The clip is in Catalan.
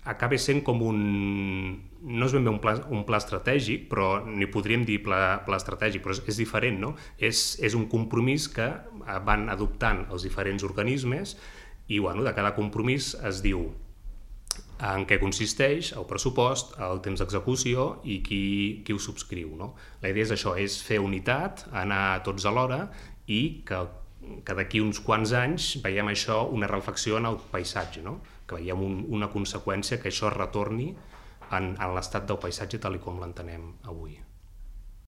acaba sent com no és ben bé un pla estratègic, però ni podríem dir pla estratègic, però és diferent, no? És un compromís que van adoptant els diferents organismes i de cada compromís es diu en què consisteix el pressupost, el temps d'execució i qui ho subscriu, no? La idea és això, és fer unitat, anar tots alhora i que d'aquí uns quants anys veiem això, una reflexió en el paisatge, no? Que veiem una conseqüència que això retorni en l'estat del paisatge tal com l'entenem avui.